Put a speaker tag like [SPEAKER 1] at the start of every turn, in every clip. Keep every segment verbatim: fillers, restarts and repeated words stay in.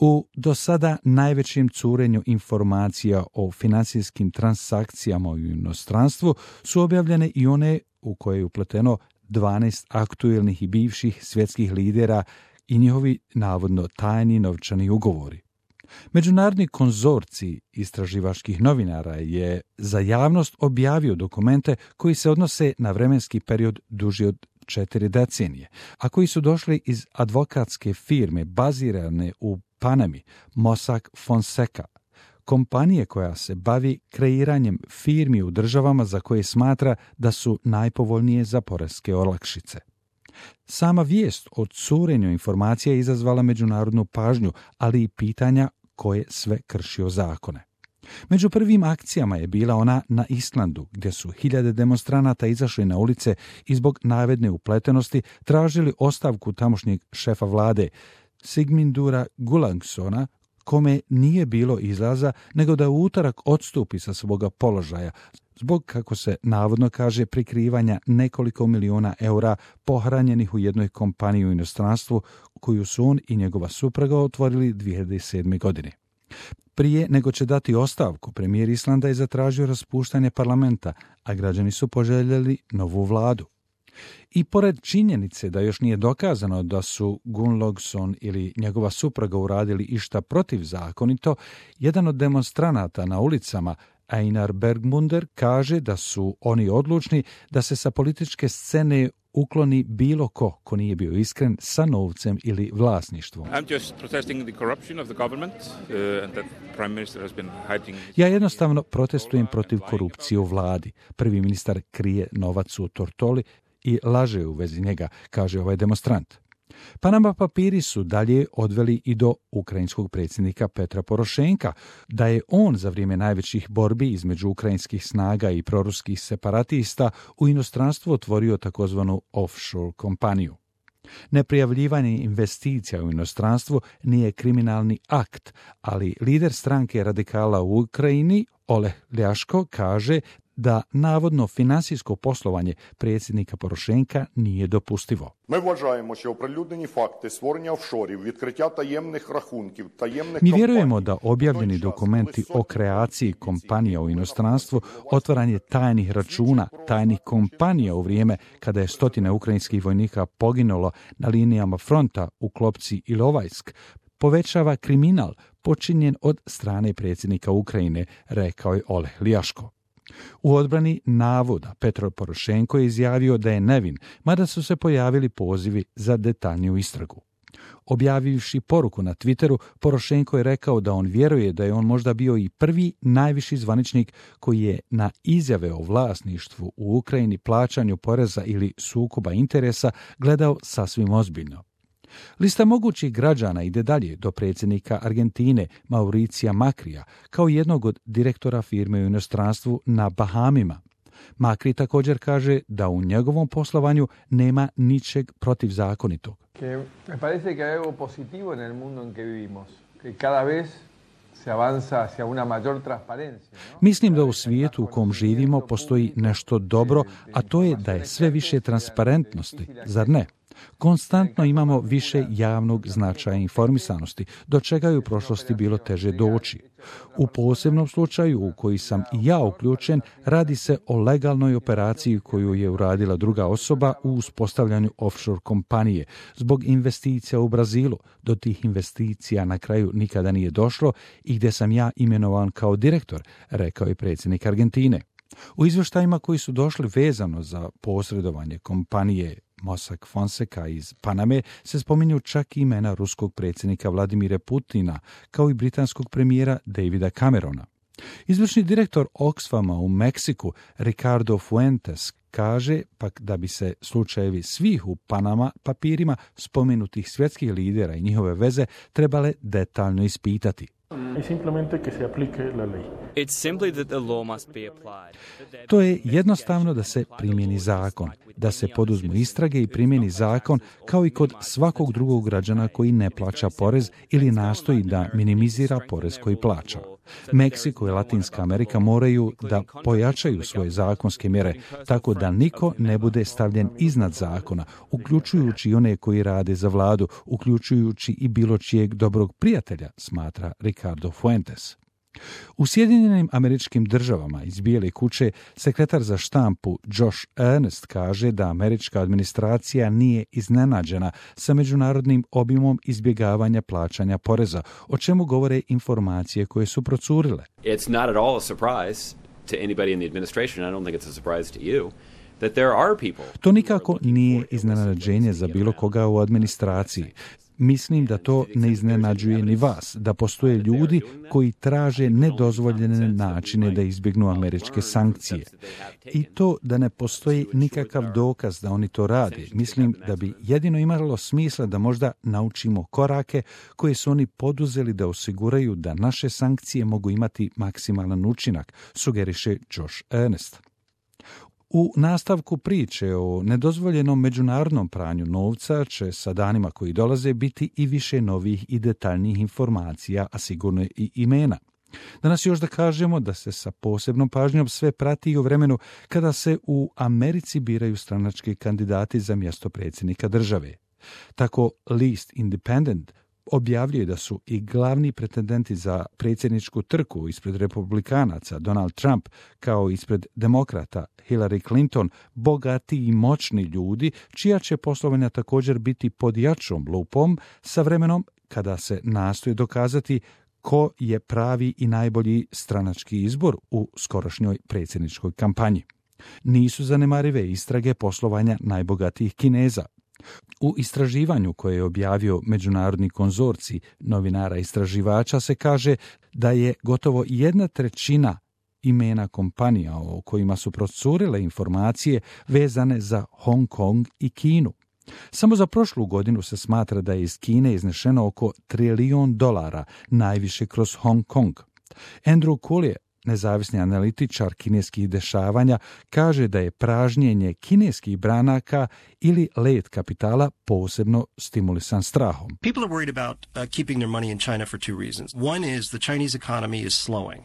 [SPEAKER 1] U do sada najvećem curenju informacija o financijskim transakcijama u inostranstvu su objavljene i one u koje je upleteno dvanaest aktuelnih i bivših svjetskih lidera i njihovi navodno tajni novčani ugovori. Međunarodni konzorcij istraživačkih novinara je za javnost objavio dokumente koji se odnose na vremenski period duži od četiri decenije, a koji su došli iz advokatske firme bazirane u Panami, Mossack Fonseca, kompanije koja se bavi kreiranjem firmi u državama za koje smatra da su najpovoljnije za poreske olakšice. Sama vijest o curenju informacija je izazvala međunarodnu pažnju, ali i pitanja ko je sve kršio zakone. Među prvim akcijama je bila ona na Islandu, gdje su hiljade demonstranata izašli na ulice i zbog navedne upletenosti tražili ostavku tamošnjeg šefa vlade, Sigmundura Gunnlaugsona, kome nije bilo izlaza nego da u utorak odstupi sa svoga položaja, zbog, kako se navodno kaže, prikrivanja nekoliko miliona eura pohranjenih u jednoj kompaniji u inostranstvu koju su on i njegova supruga otvorili dvije hiljade sedme. godine. Prije nego će dati ostavku, premijer Islanda je zatražio raspuštanje parlamenta, a građani su poželjeli novu vladu. I pored činjenice da još nije dokazano da su Gunnlaugsson ili njegova supruga uradili išta protivzakonito, jedan od demonstranata na ulicama, Einar Bergmunder, kaže da su oni odlučni da se sa političke scene ukloni bilo ko ko nije bio iskren sa novcem ili vlasništvom. Ja jednostavno protestujem protiv korupcije u vladi. Prvi ministar krije novac u Tortoli i laže u vezi njega, kaže ovaj demonstrant. Panama papiri su dalje odveli i do ukrajinskog predsjednika Petra Porošenka, da je on za vrijeme najvećih borbi između ukrajinskih snaga i proruskih separatista u inostranstvu otvorio takozvanu offshore kompaniju. Neprijavljivanje investicija u inostranstvu nije kriminalni akt, ali lider stranke radikala u Ukrajini, Oleh Ljaško, kaže da navodno finansijsko poslovanje predsjednika Porošenka nije dopustivo.
[SPEAKER 2] Mi вважаємо, що оприлюднені факти створення офшорів, відкриття таємних рахунків, таємних
[SPEAKER 1] Mi vjerujemo da objavljeni dokumenti o kreaciji kompanija u inostranstvu, otvaranje tajnih računa, tajnih kompanija u vrijeme kada je stotine ukrajinskih vojnika poginulo na linijama fronta u Klopci i Lovajsk, povećava kriminal počinjen od strane predsjednika Ukrajine, rekao je Oleh Ljaško. U odbrani navoda Petro Porošenko je izjavio da je nevin, mada su se pojavili pozivi za detaljniju istragu. Objavivši poruku na Twitteru, Porošenko je rekao da on vjeruje da je on možda bio i prvi najviši zvaničnik koji je na izjave o vlasništvu u Ukrajini, plaćanju poreza ili sukoba interesa gledao sasvim ozbiljno. Lista mogućih građana ide dalje do predsjednika Argentine Mauricija Makrija kao jednog od direktora firme u inostranstvu na Bahamima. Makri također kaže da u njegovom poslovanju nema ničeg protivzakonitog.
[SPEAKER 3] Me parece que hay algo positivo en el mundo en que vivimos, que cada vez se avanza hacia una mayor transparencia.
[SPEAKER 1] Mislim da u svijetu u kom živimo postoji nešto dobro, a to je da je sve više transparentnosti, zar ne? Konstantno imamo više javnog značaja informisanosti, do čega je u prošlosti bilo teže doći. U posebnom slučaju u koji sam i ja uključen, radi se o legalnoj operaciji koju je uradila druga osoba u uspostavljanju offshore kompanije. Zbog investicija u Brazilu, do tih investicija na kraju nikada nije došlo i gdje sam ja imenovan kao direktor, rekao je predsjednik Argentine. U izvještajima koji su došli vezano za posredovanje kompanije Mossack Fonseca iz Paname se spominju čak imena ruskog predsjednika Vladimira Putina, kao i britanskog premijera Davida Camerona. Izvršni direktor Oxfama u Meksiku, Ricardo Fuentes, kaže pak da bi se slučajevi svih u Panama papirima spomenutih svjetskih lidera i njihove veze trebale detaljno ispitati.
[SPEAKER 4] I simplemente que se aplique la ley.
[SPEAKER 1] To je jednostavno da se primjeni zakon, da se poduzmu istrage i primjeni zakon kao i kod svakog drugog građana koji ne plaća porez ili nastoji da minimizira porez koji plaća. Meksiko i Latinska Amerika moraju da pojačaju svoje zakonske mjere tako da niko ne bude stavljen iznad zakona, uključujući i one koji rade za vladu, uključujući i bilo čijeg dobrog prijatelja, smatra Ricardo Fuentes. U Sjedinjenim Američkim Državama iz Bijele kuće sekretar za štampu Josh Earnest kaže da američka administracija nije iznenađena sa međunarodnim obimom izbjegavanja plaćanja poreza, o čemu govore informacije koje su procurile.
[SPEAKER 4] It's not at all a surprise to anybody in the administration. I don't think it's a surprise to you. That there are people.
[SPEAKER 1] To nikako nije iznenađenje za bilo koga u administraciji. Mislim da to ne iznenađuje ni vas, da postoje ljudi koji traže nedozvoljene načine da izbjegnu američke sankcije. I to da ne postoji nikakav dokaz da oni to rade. Mislim da bi jedino imalo smisla da možda naučimo korake koje su oni poduzeli da osiguraju da naše sankcije mogu imati maksimalan učinak, sugeriše Josh Earnest. U nastavku priče o nedozvoljenom međunarodnom pranju novca će sa danima koji dolaze biti i više novih i detaljnijih informacija, a sigurno i imena. Danas još da kažemo da se sa posebnom pažnjom sve prati i u vremenu kada se u Americi biraju stranački kandidati za mjesto predsjednika države. Tako list Independent objavljuje da su i glavni pretendenti za predsjedničku trku ispred republikanaca Donald Trump kao ispred demokrata Hillary Clinton bogati i moćni ljudi čija će poslovanja također biti pod jačom lupom sa vremenom kada se nastoji dokazati ko je pravi i najbolji stranački izbor u skorošnjoj predsjedničkoj kampanji. Nisu zanemarive istrage poslovanja najbogatijih Kineza. U istraživanju koje je objavio međunarodni konzorcij novinara istraživača se kaže da je gotovo jedna trećina imena kompanija o kojima su procurile informacije vezane za Hong Kong i Kinu. Samo za prošlu godinu se smatra da je iz Kine iznešeno oko trilijon dolara, najviše kroz Hong Kong. Andrew Collier, nezavisni analitičar kineskih dešavanja, kaže da je pražnjenje kineskih branaka ili let kapitala posebno stimulisan strahom.
[SPEAKER 5] People are worried about uh, keeping their money in China for two reasons. One is the Chinese economy is slowing.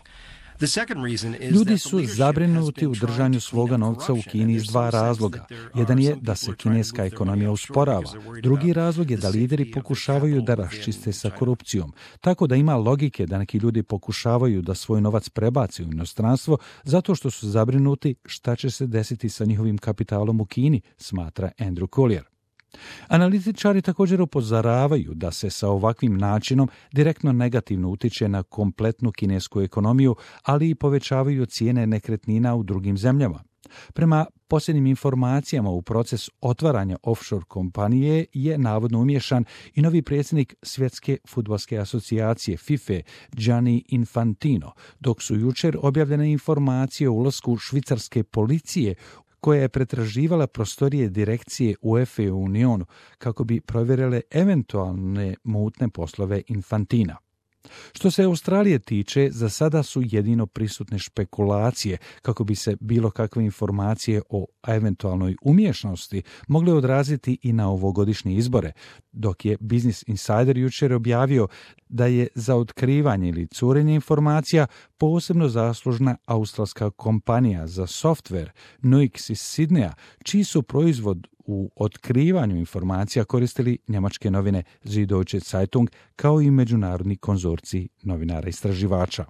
[SPEAKER 1] Ljudi su zabrinuti u držanju svoga novca u Kini iz dva razloga. Jedan je da se kineska ekonomija usporava. Drugi razlog je da lideri pokušavaju da raščiste sa korupcijom. Tako da ima logike da neki ljudi pokušavaju da svoj novac prebaci u inostranstvo zato što su zabrinuti šta će se desiti sa njihovim kapitalom u Kini, smatra Andrew Collier. Analitičari također upozoravaju da se sa ovakvim načinom direktno negativno utiče na kompletnu kinesku ekonomiju, ali i povećavaju cijene nekretnina u drugim zemljama. Prema posljednjim informacijama u proces otvaranja offshore kompanije je navodno umiješan i novi predsjednik Svjetske fudbalske asocijacije FIFA Gianni Infantino, dok su jučer objavljene informacije o ulasku švicarske policije koja je pretraživala prostorije direkcije UEFA u Unionu kako bi provjerile eventualne mutne poslove Infantina. Što se Australije tiče, za sada su jedino prisutne špekulacije kako bi se bilo kakve informacije o eventualnoj umješnosti mogle odraziti i na ovogodišnje izbore, dok je Business Insider jučer objavio da je za otkrivanje ili curenje informacija posebno zaslužna australska kompanija za softver Nuix iz Sidneja, čiji su proizvod u otkrivanju informacija koristili njemačke novine Süddeutsche Zeitung kao i međunarodni konzorcij novinara istraživača.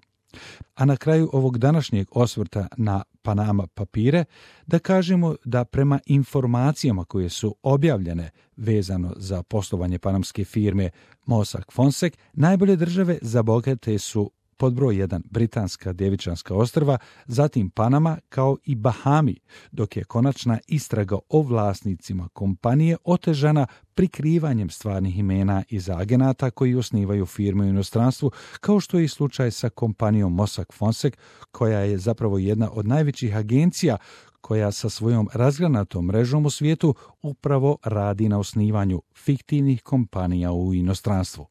[SPEAKER 1] A na kraju ovog današnjeg osvrta na Panama papire da kažemo da prema informacijama koje su objavljene vezano za poslovanje panamske firme Mossack Fonseca, najbolje države za bogate su pod broj jedan Britanska Djevičanska ostrva, zatim Panama kao i Bahami, dok je konačna istraga o vlasnicima kompanije otežana prikrivanjem stvarnih imena iz agenata koji osnivaju firme u inostranstvu, kao što je i slučaj sa kompanijom Mossack Fonseca, koja je zapravo jedna od najvećih agencija koja sa svojom razgranatom mrežom u svijetu upravo radi na osnivanju fiktivnih kompanija u inostranstvu.